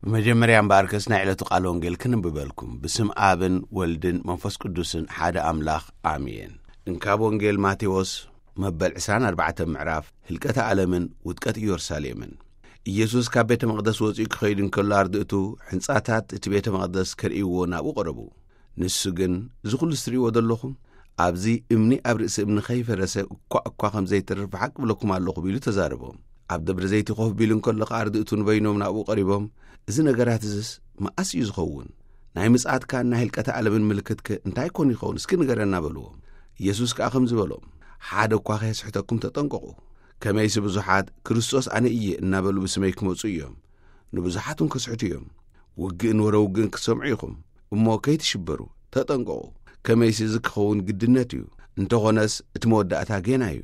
ብመጀመርያ እምበኣርከስ ናይ ዕለቱ ቃል ወንጌል ክንብበልኩም። ብስም ኣብን ወልድን መንፈስ ቅዱስን ሓደ ኣምላኽ ኣሜን። እንካብ ወንጌል ማቴዎስ መበል ዕስራን ኣርባዕተን ምዕራፍ ህልቀተ ዓለምን ውድቀት ኢየሩሳሌምን። ኢየሱስ ካብ ቤተ መቕደስ ወጺኡ ክኸይድ እንከሎ ኣርድእቱ ሕንጻታት እቲ ቤተ መቕደስ ከርእይዎ ናብኡ ቀረቡ። ንሱ ግን፣ "እዚ ኹሉ እትርእይዎ ዘለኹም፣ ኣብዚ እምኒ ኣብ ርእሲ እምኒ ከይፈረሰ እኳ እኳ ከም ዘይተርፍ ብሓቂ እብለኩም ኣለኹ" ኢሉ ተዛረቦም። ኣብ ደብረ ዘይቲ ኮፍ ቢሉ እንከሎ ከኣ ኣርድእቱ ንበይኖም ናብኡ ቀሪቦም፣ "እዚ ነገራት እዝስ መኣስ እዩ ዝኸውን? ናይ ምጽኣትካን ናይ ህልቀተ ዓለምን ምልክትከ እንታይ ኮን ይኸውን? እስኪ ንገረና" በልዎም። ኢየሱስ ከኣ ከምዚ በሎም፣ "ሓደ እኳ ከየስሕተኩም ተጠንቀቑ። ከመይሲ ብዙሓት 'ክርስቶስ ኣነ እየ' እናበሉ ብስመይ ክመጹ እዮም። ንብዙሓት እውን ከስሕቱ እዮም። ውግእን ወረ ውግእን ክትሰምዑ ኢኹም። እሞ ከይትሽበሩ፣ ተጠንቀቑ። ከመይሲ እዚ ክኸውን ግድነት እዩ። እንተኾነስ እቲ መወዳእታ ጌና እዩ።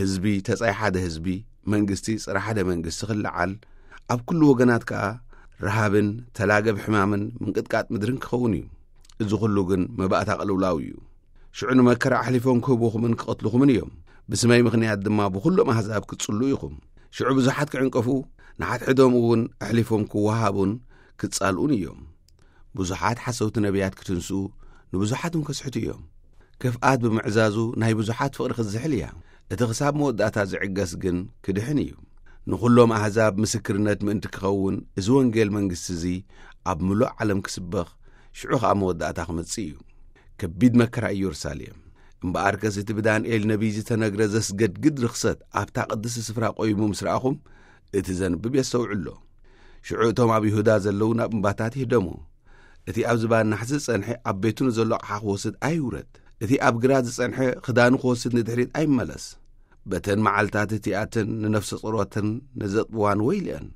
ህዝቢ ተጻይ ሓደ ህዝቢ፣ መንግስቲ ጽረ ሓደ መንግስቲ ክለዓል፣ ኣብ ኩሉ ወገናት ከኣ ረሃብን ተላገብ ሕማምን ምንቅጥቃጥ ምድርን ክኸውን እዩ። እዚ ኩሉ ግን መባእታ ቅልውላው እዩ። ሽዑ ንመከራ ኣሕሊፎም ክህቡኹምን ክቐትልኹምን እዮም። ብስመይ ምኽንያት ድማ ብኹሎም ኣህዛብ ክትጽልኡ ኢኹም። ሽዑ ብዙሓት ክዕንቀፉ፣ ንሓድሕዶም እውን ኣሕሊፎም ክወሃቡን ክጻልኡን እዮም። ብዙሓት ሓሰውቲ ነቢያት ክትንስኡ፣ ንብዙሓት እውን ከስሕቱ እዮም። ክፍኣት ብምዕዛዙ ናይ ብዙሓት ፍቕሪ ክትዝሕል እያ። እቲ ክሳብ መወዳእታ ዝዕገስ ግን ክድሕን እዩ። ንኹሎም ኣህዛብ ምስክርነት ምእንቲ ክኸውን፣ እዚ ወንጌል መንግስቲ እዚ ኣብ ምሉእ ዓለም ክስበኽ፣ ሽዑ ኸኣ መወዳእታ ክመጽእ እዩ። ከቢድ መከራ ኢየሩሳሌም። እምበኣርከስ እቲ ብዳንኤል ነቢይ ዝተነግረ ዘስገድግድ ርኽሰት ኣብታ ቅድስቲ ስፍራ ቆይሙ ምስ ረኣኹም፣ እቲ ዘንብብ የስተውዕሎ። ሽዑ እቶም ኣብ ይሁዳ ዘለዉ ናብ እምባታት ይህደሙ። እቲ ኣብ ዝባን ናሕሲ ዝጸንሐ ኣብ ቤቱ ንዘሎ ኣቕሓ ክወስድ ኣይውረድ። እቲ ኣብ ግራት ዝጸንሐ ክዳኑ ክወስድ ንድሕሪት ኣይመለስ። በተን መዓልታት እቲኣተን ንነፍሰ ጾሮተን ንዘጥብዋን ወይልአን።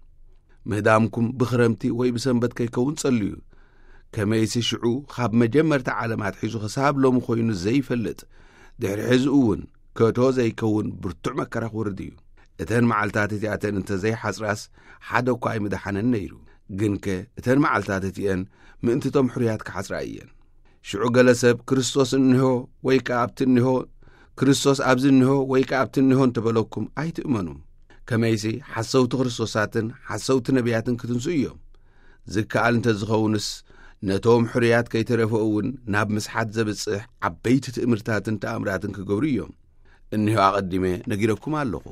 ምህዳምኩም ብኽረምቲ ወይ ብሰንበት ከይከውን ጸልዩ። ከመይሲ ሽዑ ካብ መጀመርታ ዓለም ኣትሒዙ ክሳብ ሎሚ ኮይኑ ዘይፈልጥ፣ ድሕሪ ሕዚ እውን ከቶ ዘይከውን ብርቱዕ መከራ ክወርድ እዩ። እተን መዓልታት እቲኣተን እንተ ዘይሓጽራስ ሓደ እኳ ኣይምደሓነን ነይሩ። ግንከ እተን መዓልታት እቲአን ምእንቲ እቶም ሕሩያት ክሓጽራ እየን። ሽዑ ገለ ሰብ፣ "ክርስቶስ እንሆ ወይ ከኣ ኣብቲ እንሆ፣ ክርስቶስ ኣብዚ እንሆ ወይ ከኣ ኣብቲ እንሆ" እንተበለኩም ኣይትእመኑ። ከመይሲ ሓሰውቲ ክርስቶሳትን ሓሰውቲ ነቢያትን ክትንስኡ እዮም። ዝከኣል እንተ ዝኸውንስ፣ ነቶም ሕሩያት ከይተረፈ እውን ናብ ምስሓት ዘብጽሕ ዓበይቲ ትእምርታትን ተኣምራትን ክገብሩ እዮም። እነሆ ኣቐዲመ ነጊረኩም ኣለኹ።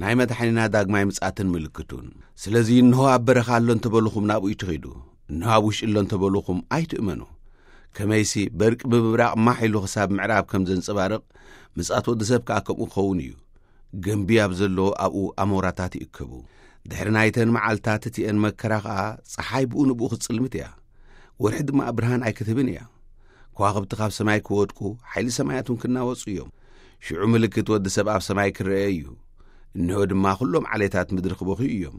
ናይ መድሓኒና ዳግማይ ምጽኣትን ምልክቱን። ስለዚ እንሆ ኣብ በረኻ ኣሎ እንተበልኹም ናብኡ ይትኺዱ። እንሆ ኣብ ውሽጢ ኣሎ እንተበልኹም ኣይትእመኑ። ከመይሲ በርቂ ብምብራቕ ማሕ ኢሉ ክሳብ ምዕራብ ከም ዘንጸባርቕ፣ ምጽኣት ወዲ ሰብ ከኣ ከምኡ ክኸውን እዩ። ገንቢ ኣብ ዘለዎ ኣብኡ ኣሞራታት ይእከቡ። ድሕሪ ናይተን መዓልታት እቲአን መከራ ኸኣ፣ ጸሓይ ብኡ ንብኡ ክትጽልምት እያ። ወርሒ ድማ ብርሃን ኣይክትህብን እያ። ከዋኽብቲ ካብ ሰማይ ክወድቁ፣ ሓይሊ ሰማያት እውን ክናወጹ እዮም። ሽዑ ምልክት ወዲ ሰብ ኣብ ሰማይ ክረአ እዩ። እንሆ ድማ ኩሎም ዓሌታት ምድሪ ክበኽዩ እዮም።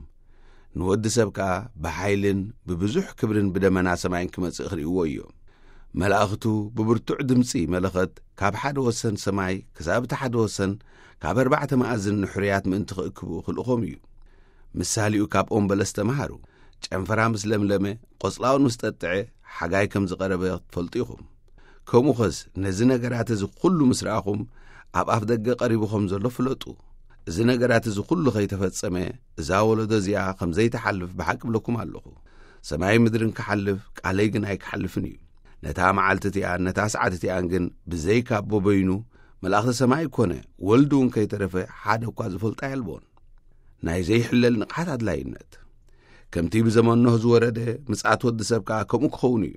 ንወዲ ሰብ ከኣ ብሓይልን ብብዙሕ ክብርን ብደመና ሰማይን ክመጽእ ክርእይዎ እዮም። መላእኽቱ ብብርቱዕ ድምጺ መለኸት ካብ ሓደ ወሰን ሰማይ ክሳብ እቲ ሓደ ወሰን ካብ ኣርባዕተ መኣዝን ንሕሩያት ምእንቲ ክእክቡ ክልእኾም እዩ። ምሳሌኡ ካብ ኦም በለስ ተምሃሩ። ጨንፈራ ምስ ለምለመ፣ ቆጽላውን ምስ ጠጥዐ፣ ሓጋይ ከም ዝቐረበ ትፈልጡ ኢኹም። ከምኡኸስ ነዚ ነገራት እዚ ኩሉ ምስ ረኣኹም፣ ኣብ ኣፍ ደገ ቀሪቡ ከም ዘሎ ፍለጡ። እዚ ነገራት እዚ ኩሉ ከይተፈጸመ፣ እዛ ወለዶ እዚኣ ከም ዘይትሓልፍ ብሓቂ እብለኩም ኣለኹ። ሰማይን ምድርን ክሓልፍ፣ ቃለይ ግን ኣይክሓልፍን እዩ። ነታ መዓልቲ እቲኣን ነታ ሰዓት እቲኣን ግን ብዘይካ ኣቦ በይኑ፣ መላእኽቲ ሰማይ ኮነ ወልዲ እውን ከይተረፈ ሓደ እኳ ዝፈልጣ የልቦን። ናይ ዘይሕለል ንቕሓት ኣድላይነት። ከምቲ ብዘመን ኖህ ዝወረደ፣ ምጽኣት ወዲ ሰብ ከኣ ከምኡ ክኸውን እዩ።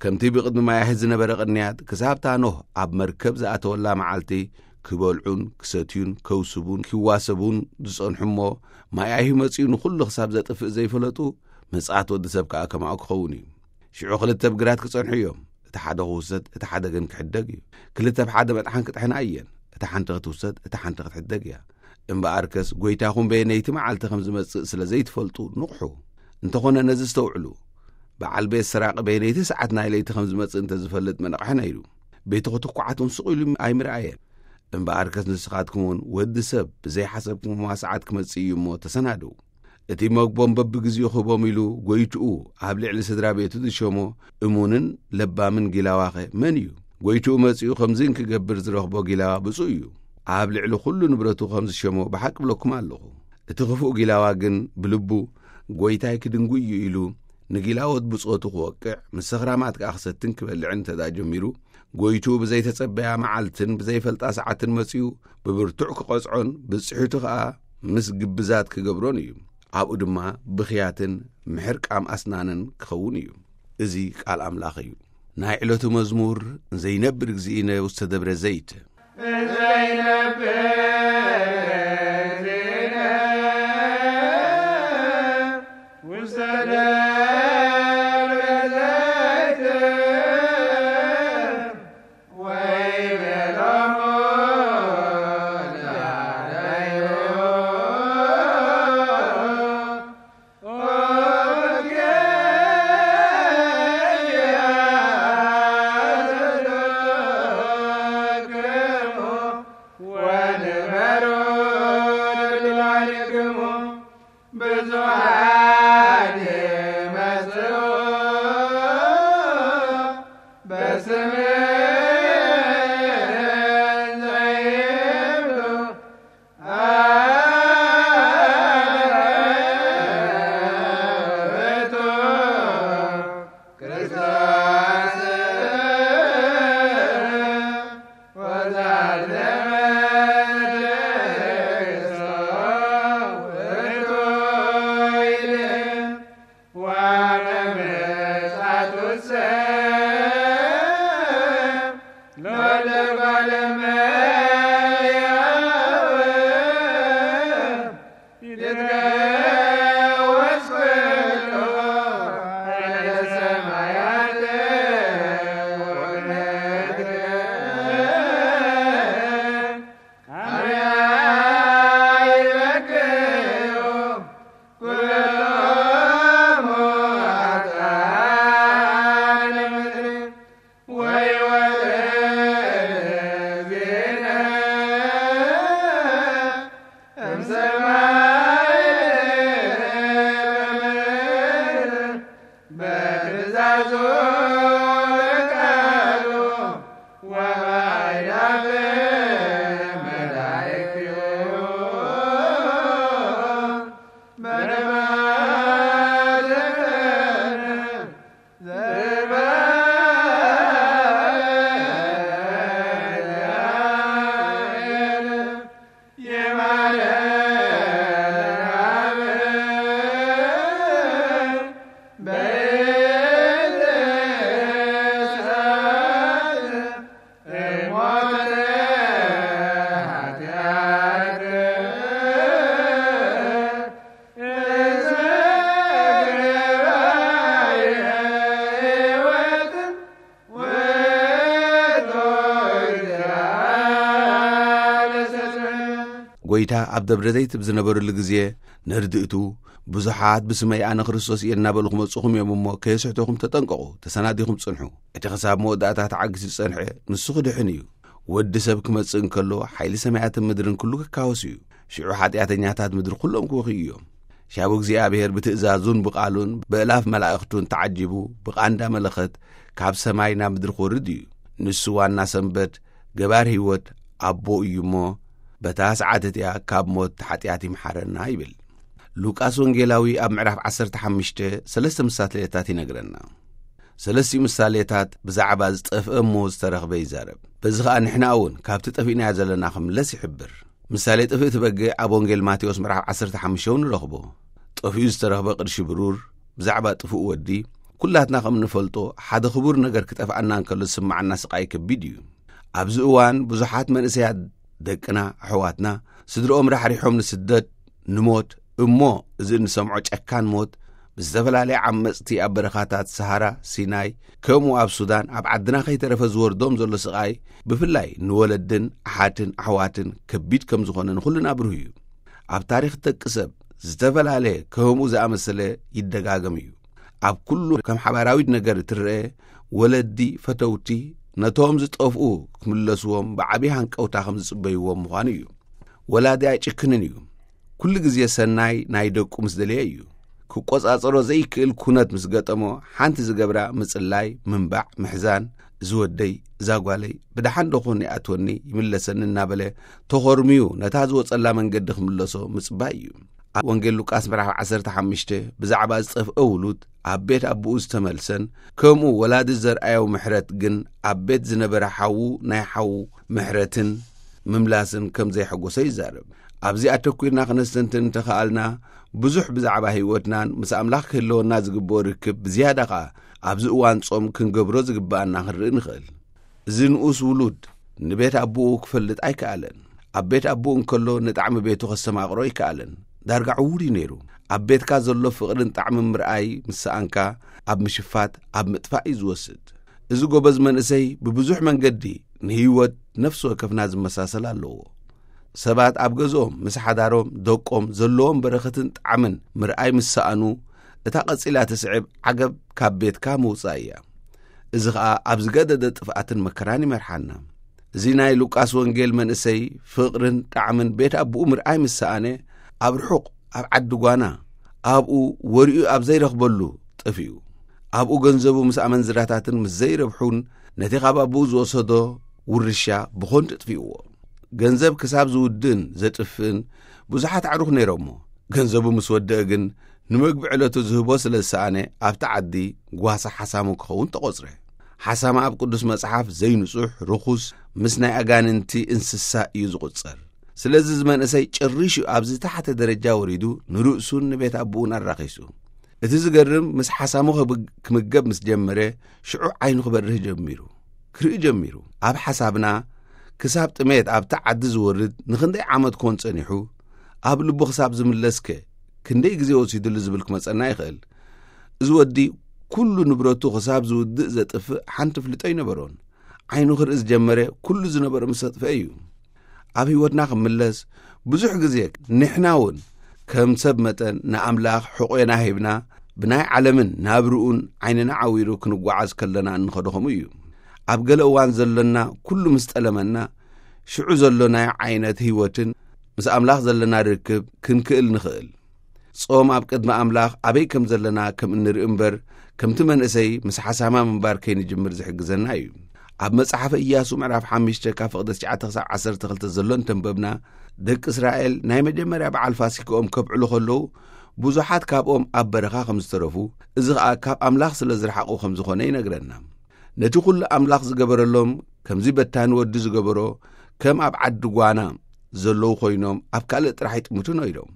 ከምቲ ብቕድሚ ማያህት ዝነበረ ቅንያት፣ ክሳብታ ኖህ ኣብ መርከብ ዝኣተወላ መዓልቲ፣ ክበልዑን ክሰትዩን ከውስቡን ክዋሰቡን ዝጸንሑ እሞ፣ ማይ ኣይሁ መጺኡ ንኹሉ ክሳብ ዘጥፍእ ዘይፈለጡ፣ ምጽኣት ወዲ ሰብ ከኣ ከማኡ ክኸውን እዩ። ሽዑ ክልተ ብግራት ክጸንሑ እዮም። እቲ ሓደ ክውሰድ፣ እቲ ሓደ ግን ክሕደግ እዩ። ክልተ ብሓደ መጥሓን ክጥሕና እየን። እታ ሓንቲ ክትውሰድ፣ እታ ሓንቲ ክትሕደግ እያ። እምበኣርከስ ጐይታኹም በየነይቲ መዓልቲ ከም ዝመጽእ ስለ ዘይትፈልጡ ንቕሑ። እንተኾነ ነዚ እስተውዕሉ፣ በዓል ቤት ሰራቒ በየነይቲ ሰዓት ናይ ለይቲ ከም ዝመጽእ እንተ ዝፈልጥ መነቕሐ ነይሩ። ቤትኹ ትኩዓቱን ስቕ ኢሉ ኣይምርኣየ። እምበኣርከስ ንስኻትኩም እውን ወዲ ሰብ ብዘይሓሰብኩምዋ ሰዓት ክመጽእ እዩ እሞ ተሰናድው። እቲ መግቦም በብግዜኡ ክህቦም ኢሉ ጐይትኡ ኣብ ልዕሊ ስድራ ቤቱ ዝሸሞ እሙንን ለባምን ጊላዋኸ መን እዩ? ጐይትኡ መጺኡ ከምዚ እንክገብር ዝረኽቦ ጊላዋ ብፁዕ እዩ። ኣብ ልዕሊ ኹሉ ንብረቱ ከም ዝሸሞ ብሓቂ ብለኩም ኣለኹ። እቲ ክፉእ ጊላዋ ግን ብልቡ፣ ጐይታይ ክድንጉ እዩ ኢሉ ንጊላዎት ብጾቱ ክወቅዕ፣ ምስ ሰኽራማት ከኣ ክሰትን ክበልዕን እንተ ደኣ ጀሚሩ፣ ጐይትኡ ብዘይተጸበያ መዓልትን ብዘይፈልጣ ሰዓትን መጺኡ ብብርቱዕ ክቐጽዖን ብጽሒቱ ኸኣ ምስ ግብዛት ክገብሮን እዩ። ኣብኡ ድማ ብኽያትን ምሕርቃም ኣስናንን ክኸውን እዩ። እዚ ቃል ኣምላኽ እዩ። ናይ ዕለቱ መዝሙር ዘይነብር እግዚእነ ውስተ ደብረ ዘይት። ዘይነብር እግዚእነ ውስተ ደብረ ዘይት ወይቤሎሙ ዳረዩ ኦኬ ያዘሎክሙ ወንበሩ ልላልክሙ ብዙኃን ይመጽኡ በስምህን ዘይብሉ ውእቱ ክርስቶስ ወዛልመ ውእቱ ይልም ወመምጻቱሰ ለወልደ እጓለ እመሕያው ይትገወጽ ኩሉ ኃይለ ሰማያት ወምድር። አርያ ይበክዩ ኩሎሙ ኃጥኣነ ምድር ወይወርድ ዜነ እምሰማይ በምድር በትእዛዙ በቃሉ ወበአእላፍ መላእክቲሁ በደማት ጐይታ ኣብ ደብረ ዘይት ብዝነበረሉ ግዜ፣ ንርድእቱ ብዙሓት ብስመይ ኣነ ክርስቶስ እየ እናበሉ ክመጽኹም እዮም እሞ፣ ከየስሕተኹም ተጠንቀቑ፣ ተሰናዲኹም ጽንሑ። እቲ ኽሳብ መወዳእታ ተዓጊሱ ዝጸንሐ፣ ንሱ ክድሕን እዩ። ወዲ ሰብ ክመጽእ እንከሎ፣ ሓይሊ ሰማያትን ምድርን ኩሉ ክካወስ እዩ። ሽዑ ሓጢኣተኛታት ምድሪ ኩሎም ክበኽዩ እዮም። ሻቡ እግዚኣብሔር ብትእዛዙን ብቓሉን ብእላፍ መላእኽቱን ተዓጂቡ ብቓንዳ መለኸት ካብ ሰማይ ናብ ምድሪ ክወርድ እዩ። ንሱ ዋና ሰንበት፣ ገባር ህይወት ኣቦ እዩ እሞ፣ በታ ሰዓት እቲኣ ካብ ሞት ሓጢኣት ይምሓረና ይብል። ሉቃስ ወንጌላዊ ኣብ ምዕራፍ ዓሰርተ ሓሙሽተ ሰለስተ ምሳሌታት ይነግረና። ሰለስቲኡ ምሳሌታት ብዛዕባ ዝጠፍአ እሞ ዝተረኽበ ይዛረብ። በዚ ኸኣ ንሕና እውን ካብቲ ጠፊእናዮ ዘለና ክምለስ ይሕብር። ምሳሌ ጥፍእቲ በግዕ ኣብ ወንጌል ማቴዎስ ምዕራፍ ዓሰርተ ሓሙሽተ እውን ንረኽቦ። ጠፊኡ ዝተረኽበ ቅርሺ ብሩር፣ ብዛዕባ ጥፉእ ወዲ፣ ኩላትና ከም እንፈልጦ፣ ሓደ ክቡር ነገር ክጠፍኣና እንከሎ ዝስምዓና ስቓይ ከቢድ እዩ። ኣብዚ እዋን ብዙሓት መንእሰያት ደቅና፣ ኣሕዋትና፣ ስድርኦም ራሕሪሖም ንስደት፣ ንሞት፣ እሞ እዚ እንሰምዖ ጨካን ሞት ብዝተፈላለየ ዓመጽቲ ኣብ በረኻታት ሰሃራ፣ ሲናይ፣ ከምኡ ኣብ ሱዳን ኣብ ዓድና ከይተረፈ ዝወርዶም ዘሎ ስቓይ፣ ብፍላይ ንወለድን ኣሓትን ኣሕዋትን ከቢድ ከም ዝኾነ ንኹልና ብሩህ እዩ። ኣብ ታሪኽ ደቂ ሰብ ዝተፈላለየ ከምኡ ዝኣመሰለ ይደጋገም እዩ። ኣብ ኩሉ ከም ሓባራዊት ነገር እትረአ፣ ወለዲ ፈተውቲ ነቶም ዝጠፍኡ ክምለስዎም ብዓቢ ሃንቀውታ ከም ዝጽበይዎም ምዃኑ እዩ። ወላዲ ኣይጭክንን እዩ። ኩሉ ግዜ ሰናይ ናይ ደቁ ምስ ደለየ እዩ። ክቆጻጸሮ ዘይክእል ኩነት ምስ ገጠሞ፣ ሓንቲ ዝገብራ ምጽላይ፣ ምንባዕ፣ ምሕዛን፣ እዚ ወደይ፣ እዛ ጓለይ ብደሓን ዶ ኮን ይኣትወኒ ይምለሰኒ እናበለ ተኾርምዩ ነታ ዝወጸላ መንገዲ ክምለሶ ምጽባይ እዩ። ኣብ ወንጌል ሉቃስ ምዕራፍ ዓሰርተ ሓሙሽተ ብዛዕባ ዝጠፍአ ውሉድ ኣብ ቤት ኣቦኡ ዝተመልሰን ከምኡ ወላዲ ዘርኣዮ ምሕረት ግን ኣብ ቤት ዝነበረ ሓዉ ናይ ሓዉ ምሕረትን ምምላስን ከም ዘይሐጎሶ ይዛረብ። ኣብዚ ኣተኲርና ክነስተንትን እንተኸኣልና፣ ብዙሕ ብዛዕባ ህይወትናን ምስ ኣምላኽ ክህልወና ዝግብኦ ርክብ ብዝያዳ ኸኣ ኣብዚ እዋን ጾም ክንገብሮ ዝግብኣና ክንርኢ ንኽእል። እዚ ንኡስ ውሉድ ንቤት ኣቦኡ ክፈልጥ ኣይከኣለን። ኣብ ቤት ኣቦኡ እንከሎ ንጣዕሚ ቤቱ ከስተማቕሮ ኣይከኣለን። ዳርጋ ዕዉር እዩ ነይሩ። ኣብ ቤትካ ዘሎ ፍቕርን ጣዕምን ምርኣይ ምስ ሰኣንካ ኣብ ምሽፋት፣ ኣብ ምጥፋእ እዩ ዝወስድ። እዚ ጎበዝ መንእሰይ ብብዙሕ መንገዲ ንህይወት ነፍሲ ወከፍና ዝመሳሰል ኣለዎ። ሰባት ኣብ ገዝኦም ምስ ሓዳሮም፣ ደቆም ዘለዎም በረኸትን ጣዕምን ምርኣይ ምስ ሰኣኑ፣ እታ ቀጺላ ትስዕብ ዓገብ ካብ ቤትካ ምውጻእ እያ። እዚ ኸኣ ኣብ ዝገደደ ጥፍኣትን መከራን ይመርሓና። እዚ ናይ ሉቃስ ወንጌል መንእሰይ ፍቕርን ጣዕምን ቤት ኣቦኡ ምርኣይ ምስ ሰኣነ፣ ኣብ ርሑቕ ኣብ ዓዲ ጓና ኣብኡ ወሪኡ ኣብ ዘይረኽበሉ ጠፊኡ። ኣብኡ ገንዘቡ ምስ ኣመንዝራታትን ምስ ዘይረብሑን ነቲ ካብ ኣቦኡ ዝወሰዶ ውርሻ ብኾንቱ ጥፊእዎ። ገንዘብ ክሳብ ዝውድእን ዘጥፍእን ብዙሓት ኣዕሩኽ ነይሮሞ። ገንዘቡ ምስ ወደአ ግን ንመግቢ ዕለቱ ዝህቦ ስለ ዝሰኣነ ኣብቲ ዓዲ ጓሳ ሓሳሙ ክኸውን ተቖጽረ። ሓሳማ ኣብ ቅዱስ መጽሓፍ ዘይንጹሕ፣ ርኹስ፣ ምስ ናይ ኣጋንንቲ እንስሳ እዩ ዝቑጸር። ስለዚ እዚ መንእሰይ ጭሪሹ ኣብ ዝተሓተ ደረጃ ወሪዱ ንርእሱን ንቤት ኣቦኡን ኣራኺሱ። እቲ ዝገርም ምስ ሓሳሙ ክብ-፣ ክምገብ ምስ ጀመረ ሽዑ ዓይኑ ክበርህ ጀሚሩ። ክርኢ ጀሚሩ። ኣብ ሓሳብና ክሳብ ጥሜት ኣብቲ ዓዲ ዝወርድ ንኽንደይ ዓመት ኮን ጸኒሑ፣ ኣብ ልቡ ክሳብ ዝምለስከ ክንደይ ግዜ ወሲዱሉ ዝብል ክመጸና ይኽእል። እዚ ወዲ ኩሉ ንብረቱ ክሳብ ዝውድእ ዘጥፍእ ሓንቲ ፍልጦ ኣይነበሮን። ዓይኑ ክርኢ ዝጀመረ ኩሉ ዝነበሮ ምስ ኣጥፍአ እዩ። ኣብ ህይወትና ክምለስ ብዙሕ ግዜ ንሕና እውን ከም ሰብ መጠን ንኣምላኽ ሕቆና ሂብና ብናይ ዓለምን ናብርኡን ዓይንና ዓዊሩ ክንጓዓዝ ከለና እንኸዶ ከምኡ እዩ። ኣብ ገለ እዋን ዘሎና ኩሉ ምስ ጠለመና ሽዑ ዘሎ ናይ ዓይነት ህይወትን ምስ ኣምላኽ ዘለና ርክብ ክንክእል ንኽእል። ጾም ኣብ ቅድሚ ኣምላኽ ኣበይ ከም ዘለና ከም እንርኢ እምበር፣ ከምቲ መንእሰይ ምስ ሓሳማ ምንባር ከይንጅምር ዝሕግዘና እዩ። ኣብ መጽሓፈ ኢያሱ ምዕራፍ ሓሙሽተ ካብ ፍቕዲ ትሽዓተ ክሳብ ዓሰርተ ክልተ ዘሎ እንተንበብና፣ ደቂ እስራኤል ናይ መጀመርያ በዓል ፋሲክኦም ከብዕሉ ከለዉ፣ ብዙሓት ካብኦም ኣብ በረኻ ከም ዝተረፉ፣ እዚ ኸኣ ካብ ኣምላኽ ስለ ዝረሓቑ ከም ዝኾነ ይነግረና። ነቲ ኹሉ ኣምላኽ ዝገበረሎም፣ ከምዚ በታኒ ወዲ ዝገበሮ፣ ከም ኣብ ዓዲ ጓና ዘለዉ ኮይኖም ኣብ ካልእ ጥራሕ ይጥምቱ ነይሮም።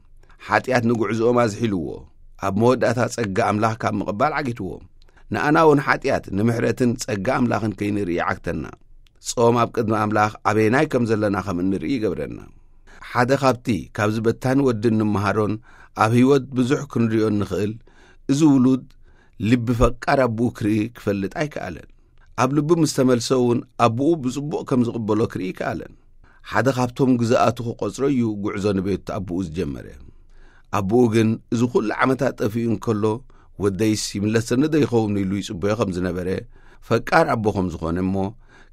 ሓጢኣት ንጉዕዞኦም ኣዝሒልዎ፣ ኣብ መወዳእታ ጸጋ ኣምላኽ ካብ ምቕባል ዓጊትዎም። ንኣና እውን ሓጢኣት ንምሕረትን ጸጋ ኣምላኽን ከይንርኢ ይዓግተና። ጾም ኣብ ቅድሚ ኣምላኽ ኣበየናይ ከም ዘለና ከም እንርኢ ይገብረና። ሓደ ካብቲ ካብዚ በታኒ ወዲ እንመሃሮን ኣብ ህይወት ብዙሕ ክንሪኦ እንኽእል፣ እዚ ውሉድ ልቢ ፈቃር ኣቦኡ ክርኢ ክፈልጥ ኣይከኣለን። ኣብ ልቡ ምስ ተመልሰ እውን ኣቦኡ ብጽቡቕ ከም ዝቕበሎ ክርኢ ኣይከኣለን። ሓደ ካብቶም ግዝኣቱ ክቖጽሮ እዩ ጉዕዞ ንቤት ኣቦኡ ዝጀመረ። ኣቦኡ ግን እዚ ኩሉ ዓመታት ጠፊኡ እንከሎ፣ "ወደይስ ይምለሰኒ ዶ ይኸውን?" ኢሉ ይጽበዮ ከም ዝነበረ፣ ፈቃር ኣቦ ከም ዝኾነ እሞ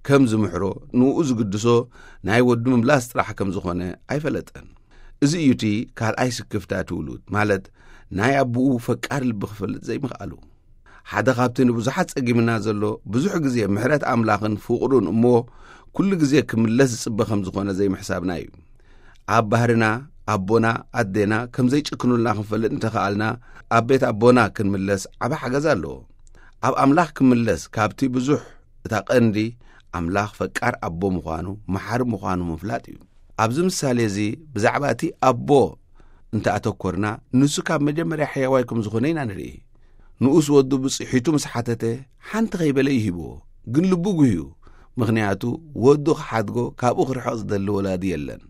ከም ዝምሕሮ፣ ንኡ ዝግድሶ ናይ ወዱ ምምላስ ጥራሕ ከም ዝኾነ ኣይፈለጠን። እዚ እዩ እቲ ካልኣይ ስክፍታ እቲ ውሉድ፣ ማለት ናይ ኣቦኡ ፈቃር ልቢ ክፈልጥ ዘይምኽኣሉ። ሓደ ካብቲ ንብዙሓት ጸጊምና ዘሎ፣ ብዙሕ ግዜ ምሕረት ኣምላኽን ፍቕሩን እሞ ኩሉ ግዜ ክምለስ ዝጽበ ከም ዝኾነ ዘይምሕሳብና እዩ። ኣብ ባህርና ኣቦና ኣዴና ከም ዘይጭክኑልና ክንፈልጥ እንተኸኣልና፣ ኣብ ቤት ኣቦና ክንምለስ ዓቢ ሓገዝ ኣለዎ። ኣብ ኣምላኽ ክምለስ ካብቲ ብዙሕ እታ ቀንዲ ኣምላኽ ፈቃር ኣቦ ምዃኑ፣ መሓሪ ምዃኑ ምፍላጥ እዩ። ኣብዚ ምሳሌ እዚ ብዛዕባ እቲ ኣቦ እንተ ኣተኮርና፣ ንሱ ካብ መጀመርያ ሕያዋይ ከም ዝኾነ ኢና ንርኢ። ንኡስ ወዱ ብጽሒቱ ምስ ሓተተ፣ ሓንቲ ከይበለ ይህብዎ፣ ግን ልቡ ጉህዩ። ምኽንያቱ፣ ወዱ ክሓድጎ ካብኡ ክርሕቕ ዝደሊ ወላዲ የለን።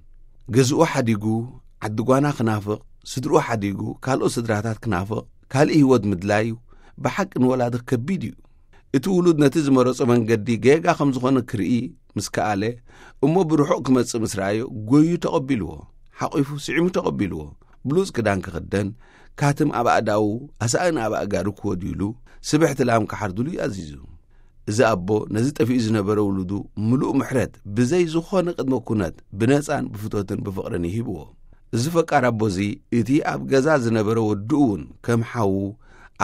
ገዝኡ ሓዲጉ፣ ዓዲ ጓና ክናፍቕ፣ ስድርኡ ሓዲጉ፣ ካልኦት ስድራታት ክናፍቕ፣ ካልእ ህይወት ምድላዩ ብሓቂ ንወላዲ ከቢድ እዩ። እቲ ውሉድ ነቲ ዝመረጾ መንገዲ ጌጋ ከም ዝኾነ ክርኢ ምስ ከኣለ፣ እሞ ብርሑቕ ክመጽእ ምስ ረኣዮ፣ ጎዩ ተቐቢልዎ፣ ሓቒፉ ስዒሙ ተቐቢልዎ። ብሉጽ ክዳን ክኽደን፣ ካትም ኣብ ኣእዳዉ፣ ኣሳእን ኣብ ኣእጋሩ ክወድዩሉ፣ ስብሕቲ ላም ክሓርዱሉ እዩ ኣዚዙ። እዚ ኣቦ ነዚ ጠፊኡ ዝነበረ ውሉዱ ምሉእ ምሕረት ብዘይ ዝኾነ ቅድመ ኩነት ብነጻን ብፍቶትን ብፍቕርን ይሂብዎ። እዚ ፈቃር ኣቦ እዚ እቲ ኣብ ገዛ ዝነበረ ወድኡ እውን ከም ሓዉ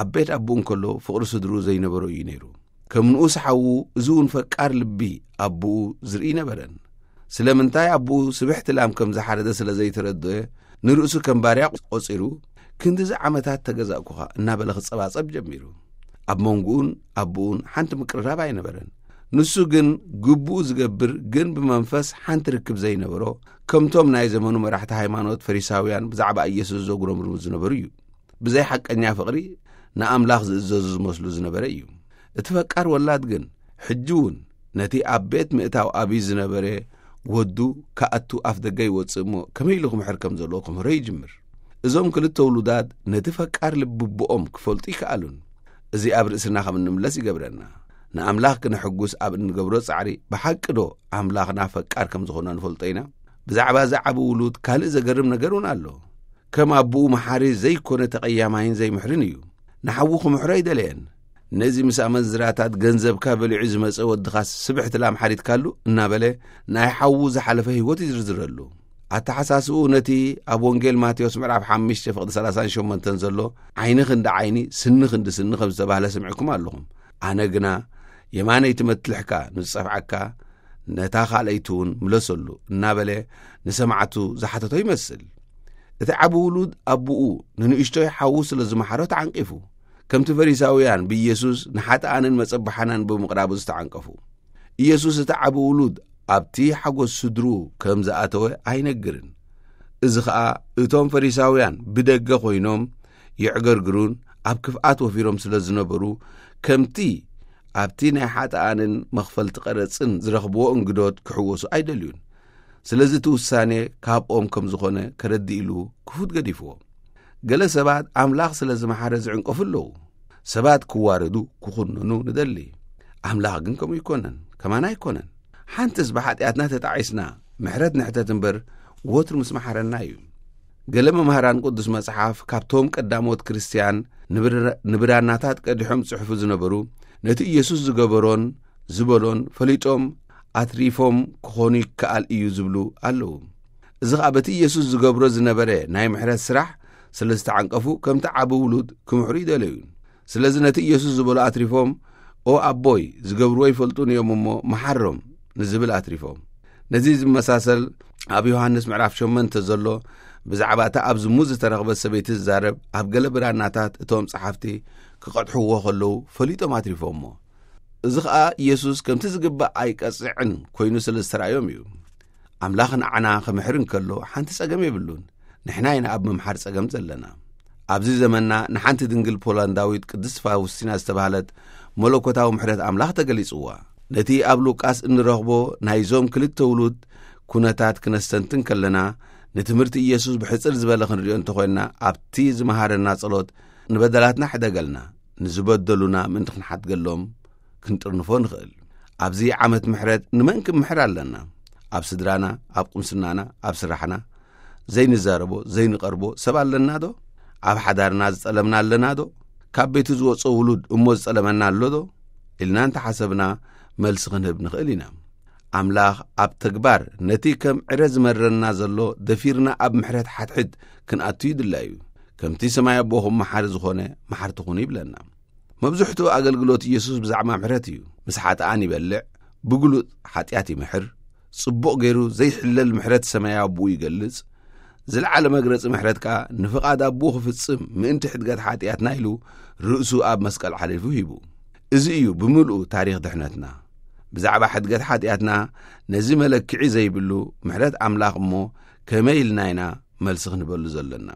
ኣብ ቤት ኣቦኡ እንከሎ ፍቕሪ ስድርኡ ዘይነበሮ እዩ ነይሩ። ከም ንኡስ ሓዉ እዚ እውን ፈቃር ልቢ ኣቦኡ ዝርኢ ነበረን። ስለምንታይ ኣቦኡ ስብሕቲ ላም ከም ዝሓረደ ስለ ዘይተረድኦ ንርእሱ ከም ባርያ ቆጺሩ ክንድዚ ዓመታት ተገዛእኩኻ እናበለ ክጸባጸብ ጀሚሩ። ኣብ መንጎኡን ኣቦኡን ሓንቲ ምቅርራብ ኣይነበረን። ንሱ ግን ግቡኡ ዝገብር ግን ብመንፈስ ሓንቲ ርክብ ዘይነበሮ ከምቶም ናይ ዘመኑ መራሕቲ ሃይማኖት ፈሪሳውያን ብዛዕባ ኢየሱስ ዘጉረምርሙ ዝነበሩ እዩ። ብዘይ ሓቀኛ ፍቕሪ ንኣምላኽ ዝእዘዙ ዝመስሉ ዝነበረ እዩ። እቲ ፈቃር ወላድ ግን ሕጂ እውን ነቲ ኣብ ቤት ምእታው ኣብዩ ዝነበረ ወዱ ክኣቱ ኣፍ ደገ ይወጽእ እሞ ከመይ ኢሉ ክምሕር ከም ዘለዎ ክምህሮ ይጅምር። እዞም ክልተ ውሉዳት ነቲ ፈቃር ልቢ ኣቦኦም ክፈልጡ ይከኣሉን። እዚ ኣብ ርእስና ከም እንምለስ ይገብረና። ንኣምላኽ ክነሐጉስ ኣብ እንገብሮ ጻዕሪ ብሓቂ ዶ ኣምላኽና ፈቃር ከም ዝኾነ ንፈልጦ ኢና? ብዛዕባ እዚ ዓቢ ውሉድ ካልእ ዘገርም ነገር እውን ኣሎ። ከም ኣቦኡ መሓሪ ዘይኮነ ተቐያማይን ዘይምሕርን እዩ። ንሓዉ ክምሕሮ ኣይደለየን። ነዚ ምስ ኣመንዝራታት ገንዘብካ በሊዑ ዝመጸ ወድኻስ ስብሕቲ ላም ሓሪድካሉ እናበለ ናይ ሓዉ ዝሓለፈ ህይወት ይዝርዝረሉ። ኣተሓሳስብኡ ነቲ ኣብ ወንጌል ማቴዎስ ምዕራፍ ሓሙሽተ ፍቕዲ ሰላሳን ሸሞንተን ዘሎ ዓይኒ ክንዲ ዓይኒ ስኒ ክንዲ ስኒ ከም ዝተባህለ ሰሚዕኩም ኣለኹም። ኣነ ግና የማነይቲ መትልሕካ ንዝጸፍዓካ ነታ ካልኣይቲ እውን ምለሰሉ እናበለ ንሰማዕቱ ዝሓተቶ ይመስል። እቲ ዓቢ ውሉድ ኣቦኡ ንንእሽቶይ ሓዉ ስለ ዝመሓሮ ተዓንቂፉ። ከምቲ ፈሪሳውያን ብኢየሱስ ንሓጥኣንን መጸባሕናን ብምቕራቡ ዝተዓንቀፉ። ኢየሱስ እቲ ዓቢ ውሉድ ኣብቲ ሓጎስ ስድሩ ከም ዝኣተወ ኣይነግርን። እዚ ኸኣ እቶም ፈሪሳውያን ብደገ ኮይኖም የዕገርግሩን ኣብ ክፍኣት ወፊሮም ስለ ዝነበሩ ከምቲ ኣብቲ ናይ ሓጥኣንን መኽፈልቲ ቀረጽን ዝረኽብዎ እንግዶት ክሕወሱ ኣይደልዩን። ስለዚ እቲ ውሳኔ ካብኦም ከም ዝኾነ ከረድእ ኢሉ ክፉት ገዲፍዎ። ገለ ሰባት ኣምላኽ ስለ ዝመሓረ ዝዕንቀፉ ኣለዉ። ሰባት ክዋረዱ ክኹነኑ ንደሊ። ኣምላኽ ግን ከምኡ ኣይኮነን፣ ከማና ኣይኮነን። ሓንትስ ብሓጢኣትና ተጣዒስና ምሕረት ንሕተት እምበር ወትሩ ምስ መሓረና እዩ። ገለ መምህራን ቅዱስ መጽሓፍ ካብቶም ቀዳሞት ክርስትያን ንብር-፣ ንብራናታት ቀዲሖም ጽሑፉ ዝነበሩ ነቲ ኢየሱስ ዝገበሮን ዝበሎን ፈሊጦም ኣትሪፎም ክኾኑ ይከኣል እዩ ዝብሉ ኣለዉ። እዚ ኸኣ በቲ ኢየሱስ ዝገብሮ ዝነበረ ናይ ምሕረት ስራሕ ስለ ዝተዓንቀፉ ከምቲ ዓቢ ውሉድ ክምሕሩ ይደለዩ። ስለዚ ነቲ ኢየሱስ ዝበሎ ኣትሪፎም ኦ ኣቦይ ዝገብርዎ ይፈልጡን እዮም እሞ መሓሮም ንዝብል ኣትሪፎም። ነዚ ዝመሳሰል ኣብ ዮሃንስ ምዕራፍ ሸሞንተ ዘሎ ብዛዕባ እታ ኣብ ዝሙት ዝተረኽበት ሰበይቲ ዝዛረብ ኣብ ገለ ብራናታት እቶም ጸሓፍቲ ክቐድሕዎ ከለዉ ፈሊጦም ኣትሪፎሞ። እዚ ኸኣ ኢየሱስ ከምቲ ዝግባእ ኣይቀጽዕን ኮይኑ ስለ ዝተራእዮም እዩ። ኣምላኽ ንዓና ክምሕር እንከሎ ሓንቲ ጸገም የብሉን። ንሕና ኢና ኣብ ምምሓር ጸገም ዘለና። ኣብዚ ዘመንና ንሓንቲ ድንግል ፖላንዳዊት ቅድስት ፋውስቲና ዝተባህለት መለኮታዊ ምሕረት ኣምላኽ ተገሊጽዋ። ነቲ ኣብ ሉቃስ እንረኽቦ ናይዞም ክልተ ውሉድ ኩነታት ክነስተንትን ከለና ንትምህርቲ ኢየሱስ ብሕጽር ዝበለ ክንሪኦ እንተኾይንና ኣብቲ ዝመሃረና ጸሎት ንበደላትና ሕደገልና፣ ንዝበደሉና ምእንቲ ክንሓድገሎም ክንጥርንፎ ንኽእል። ኣብዚ ዓመት ምሕረት ንመን ክምሕር ኣለና? ኣብ ስድራና፣ ኣብ ቁምስናና፣ ኣብ ስራሕና ዘይንዛረቦ ዘይንቐርቦ ሰብ ኣለና ዶ? ኣብ ሓዳርና ዝጸለምና ኣለና ዶ? ካብ ቤቱ ዝወጾ ውሉድ እሞ ዝጸለመና ኣሎ ዶ? ኢልና እንተሓሰብና መልሲ ክንህብ ንኽእል ኢና። ኣምላኽ ኣብ ተግባር ነቲ ከም ዕረ ዝመረና ዘሎ ደፊርና ኣብ ምሕረት ሓድሕድ ክንኣቱ ይድላ እዩ። ከምቲ ሰማይ ኣቦኹም መሓሪ ዝኾነ መሓርቲ ኩኑ ይብለና። መብዝሕትኡ ኣገልግሎት ኢየሱስ ብዛዕባ ምሕረት እዩ። ምስ ሓጥኣን ይበልዕ፣ ብግሉጽ ሓጢኣት ይምሕር፣ ጽቡቕ ገይሩ ዘይሕለል ምሕረት ሰማያዊ ኣቦኡ ይገልጽ። ዝለዓለ መግለጺ ምሕረት ከኣ ንፍቓድ ኣቦኡ ክፍጽም ምእንቲ ሕድገት ሓጢኣትና ኢሉ ርእሱ ኣብ መስቀል ሓሊፉ ሂቡ። እዚ እዩ ብምልኡ ታሪኽ ድሕነትና። ብዛዕባ ሕድገት ሓጢኣትና ነዚ መለክዒ ዘይብሉ ምሕረት ኣምላኽ እሞ ከመይ ኢልና ኢና መልሲ ክንበሉ ዘለና?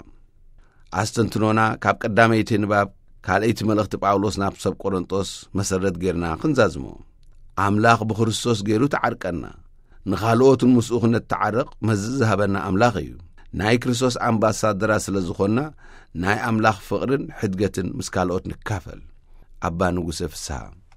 ኣስተንትኖና ካብ ቀዳመይቲ ንባብ ካልኣይቲ መልእኽቲ ጳውሎስ ናብ ሰብ ቆሮንጦስ መሰረት ጌርና ክንዛዝሞ። ኣምላኽ ብክርስቶስ ገይሩ ተዓርቀና። ንኻልኦትን ምስኡ ክነተዓርቕ መዚ ዝሃበና ኣምላኽ እዩ። ናይ ክርስቶስ ኣምባሳደራ ስለ ዝኾንና፣ ናይ ኣምላኽ ፍቕርን ሕድገትን ምስ ካልኦት ንካፈል። ኣባ ንጉሰ ፍስሃ።